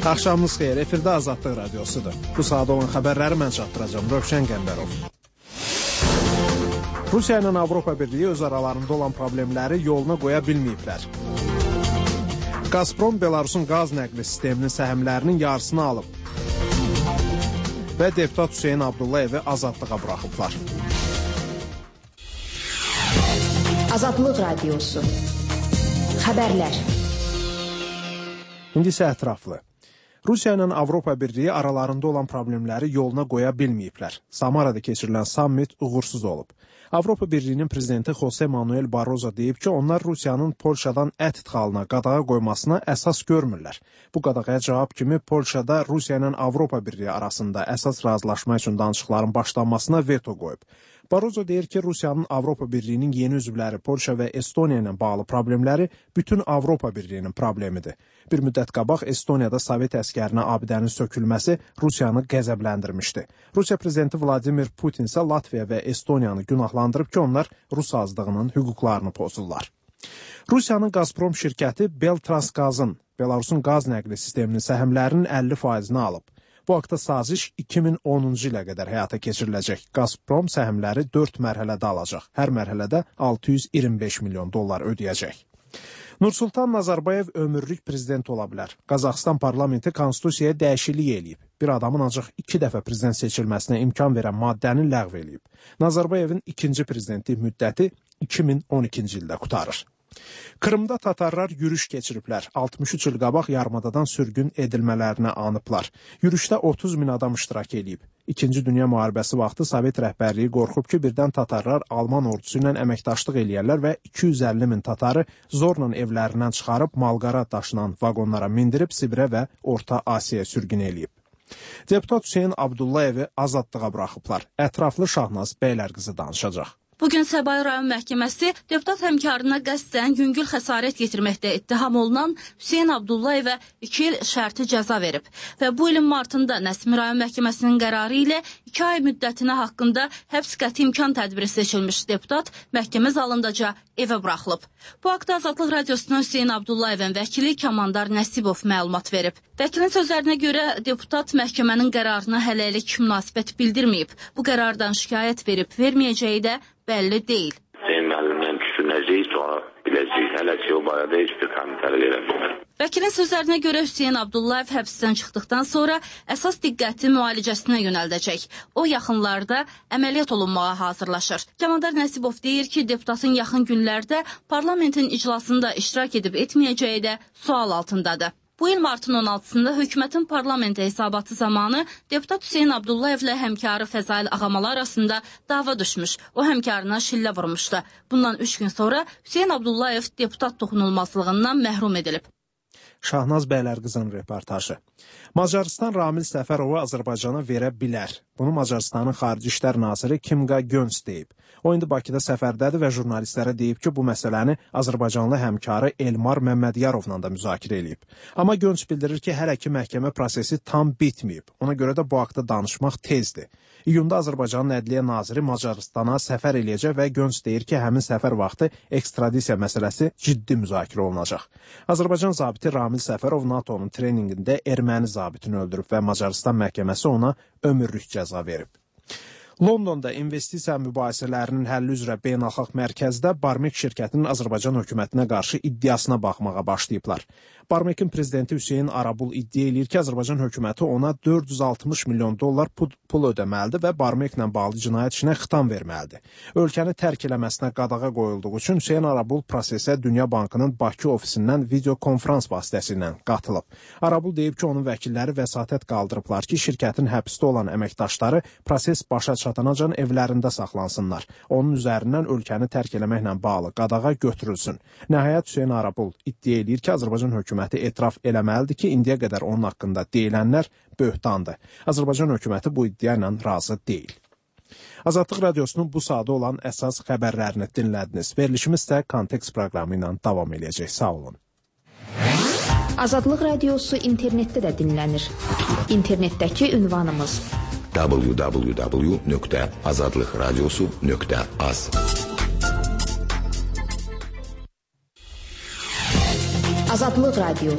Axşamınız xeyir, efirdə Azadlıq Radiosudur. Bu saat olan xəbərləri mən çatdıracağım, Rövşən Qəmbərov. Rusiya ilə Avropa Birliyi öz aralarında olan problemləri yoluna qoya bilməyiblər. Gazprom Belarusun qaz nəqli sisteminin səhmlərinin yarısını alıb. Və deputat Hüseyn Abdullayevi azadlığa buraxıblar. Azadlıq Radiosu. Xəbərlər. İndi isə ətraflı. Rusiya ilə Avropa Birliyi aralarında olan problemləri yoluna qoya bilməyiblər. Samarada keçirilən sammit uğursuz olub. Avropa Birliyinin prezidenti Jose Manuel Barroso deyib ki, onlar Rusiyanın Polşadan ət idxalına qadağa qoymasına əsas görmürlər. Bu qadağaya cavab kimi Polşada Rusiya ilə Avropa Birliyi arasında əsas razılaşma üçün danışıqların başlanmasına veto qoyub. Barroso deyir ki, Rusiyanın Avropa Birliyinin yeni üzvləri Polşa və Estoniya ilə bağlı problemləri bütün Avropa Birliyinin problemidir. Bir müddət qabaq Estoniyada Sovet əskərinə abidənin sökülməsi Rusiyanı qəzəbləndirmişdi. Rusiya prezidenti Vladimir Putin isə Latviya və Estoniyanı günahlandırıb ki, onlar Rus azlığının hüquqlarını pozurlar. Rusiyanın Gazprom şirkəti Beltransgazın, Belarusun qaz nəqli sisteminin səhmlərinin 50%-ni alıb. Bu haqda saziş 2010-cu ilə qədər həyata keçiriləcək. Gazprom səhmləri 4 mərhələdə alacaq. Hər mərhələdə 625 milyon dollar ödəyəcək. Nursultan Nazarbayev ömürlük prezident ola bilər. Qazaxıstan parlamenti konstitusiyaya dəyişiklik eləyib. Bir adamın ancaq 2 dəfə prezident seçilməsinə imkan verən maddəni ləğv eləyib. Nazarbayevin ikinci prezidentlik müddəti 2012-ci ildə qurtarır. Krımda tatarlar yürüş keçiriblər. 63 il qabaq yarımadadan sürgün edilmələrinə anıblar. Yürüşdə 30 min adam iştirak edib. İkinci Dünya müharibəsi vaxtı Sovet rəhbərliyi qorxub ki, birdən tatarlar Alman ordusu ilə əməkdaşlıq eləyərlər və 250 min tatarı zorla evlərindən çıxarıb malqara daşınan vaqonlara mindirib Sibirə və Orta Asiyaya sürgün eləyib. Deputat Hüseyn Abdullayevi azadlığa buraxıblar. Ətraflı Şahnaz Bəylərqızı danışacaq. Bugün Səbail rayon məhkəməsi deputat həmkarına qəsdən yüngül xəsarət yetirməkdə ittiham olunan Hüseyn Abdullayevə 2 il şərti cəza verib və bu ilin martında Nəsimi rayon məhkəməsinin qərarı ilə 2 ay müddətinə haqqında həbs qəti imkan tədbiri seçilmiş deputat məhkəmə zalındaca evə buraxılıb. Bu haqda Azadlıq Radiosuna Hüseyn Abdullayevin vəkili Kamandar Nəsibov məlumat verib. Vəkilin sözlərinə görə deputat məhkəmənin qərarına hələlik münasibət bildirməyib. Bu qərardan şikayət verib, verməyəcəyi də bəlli deyil. Vəkilin sözlərinə görə Hüseyn Abdullayev həbsdən çıxdıqdan sonra əsas diqqəti müalicəsinə yönəldəcək. O yaxınlarda əməliyyat olunmağa hazırlaşır. Kamandar Nəsibov deyir ki, deputatın yaxın günlərdə parlamentin iclasında iştirak edib etməyəcəyi də sual altındadır. Bu il martın 16-sında hökumətin parlamentə hesabatı zamanı deputat Hüseyn Abdullayevlə həmkarı Fəzail Ağamalı arasında dava düşmüş. O həmkarına şillə vurmuşdu. Bundan 3 gün sonra Hüseyn Abdullayev deputat toxunulmazlığından məhrum edilib. Şahnaz Bəylərqızın reportajı. Macarıstan Ramil Səfərovu Azərbaycana verə bilər. Bunu Macarıstanın Xarici İşlər Naziri Kimqa Göns deyib. O indi Bakıda səfərdədir və jurnalistlərə deyib ki, bu məsələni Azərbaycanlı həmkarı Elmar Məmmədyarovla da müzakirə eləyib. Amma Göns bildirir ki, hələ ki məhkəmə prosesi tam bitməyib. Ona görə də bu haqda danışmaq tezdir. İyunda Azərbaycanın Ədliyyə Naziri Macarıstana səfər eləyəcək və Göns deyir ki, həmin səfər vaxtı ekstradisiya məsələsi ciddi müzakirə olunacaq. Azərbaycan zabiti Ramil Səfərov NATO-nun treninqində erməni zabitini öldürüb və Macarıstan məhkəməsi ona ömürlük cəza verib. Londonda investisiya mübahisələrinin həlli üzrə beynəlxalq mərkəzdə Barmek şirkətinin Azərbaycan hökumətinə qarşı iddiasına baxmağa başlayıblar. Barmekin prezidenti Hüseyn Arabul iddia eləyir ki, Azərbaycan hökuməti ona 460 milyon dollar pul ödəməlidir və Barmeklə bağlı cinayət işinə xitam verməlidir. Ölkəni tərk eləməsinə qadağa qoyulduğu üçün Hüseyn Arabul prosesə Dünya Bankının Bakı ofisindən video konferans vasitəsilə qatılıb. Arabul deyib ki, onun vəkilləri vəsatət qaldırıblar ki, şirkətin həbsdə olan əməkdaşları proses başa çatanacan evlərində saxlansınlar. Onun üzərindən ölkəni tərk eləməklə bağlı qadağa götürülsün. Nəhayət Hüseyn Arabul iddia eləyir ki, Azərbaycan hökuməti etiraf eləməlidir ki, indiyə qədər onun haqqında deyilənlər böhtandır. Azərbaycan hökuməti bu iddia ilə razı deyil. Azadlıq Radiosunun bu sadə olan əsas xəbərlərini dinlədiniz. Verilişimiz də Kontekst proqramı ilə davam edəcək. Sağ olun. Azadlıq Radiosu internetdə də dinlənir. İnternetdəki ünvanımız www.azadlıqradiosu.az Azadlıq Radiosu